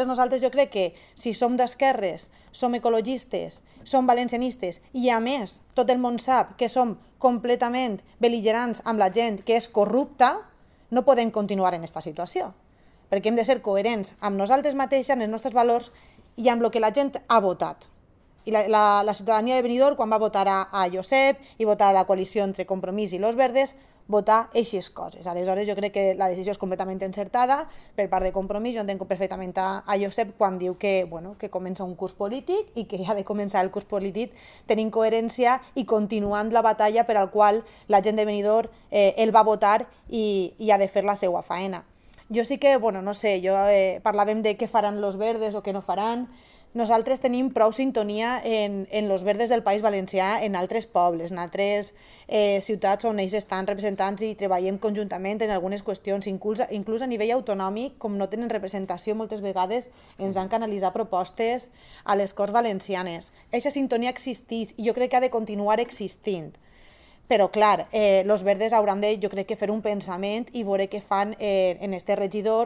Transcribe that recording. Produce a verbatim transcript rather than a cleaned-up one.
Nosaltres jo crec que si som d'esquerres, som ecologistes, som valencianistes i a més tot el món sap que som completament bel·ligerants amb la gent que és corrupta, no podem continuar en aquesta situació. Perquè hem de ser coherents amb nosaltres mateixes, amb els nostres valors i amb el que la gent ha votat. I la, la, la ciutadania de Benidorm, quan va votar a, a Josep i votar a la coalició entre Compromís i Los Verdes, votar eixes coses. Aleshores, jo crec que la decisió és completament encertada per part de Compromís. Jo entenc perfectament a, a Josep quan diu que, bueno, que comença un curs polític i que ha de començar el curs polític tenint coherència i continuant la batalla per al qual la gent de Benidorm eh, el va votar i, i ha de fer la seva faena. Jo sí que, bueno, no sé, jo eh, parlàvem de què faran Los Verdes o què no faran. Nosaltres tenim prou sintonia en, en Los Verdes del País Valencià, en altres pobles, en altres eh, ciutats on ells estan representants i treballem conjuntament en algunes qüestions, inclús, inclús a nivell autonòmic, com no tenen representació moltes vegades, ens han canalitzat propostes a les Corts Valencianes. Aquesta sintonia existeix i jo crec que ha de continuar existint. Però, clar, eh, Los Verdes hauran de, jo crec que fer un pensament i veure què fan eh, en este regidor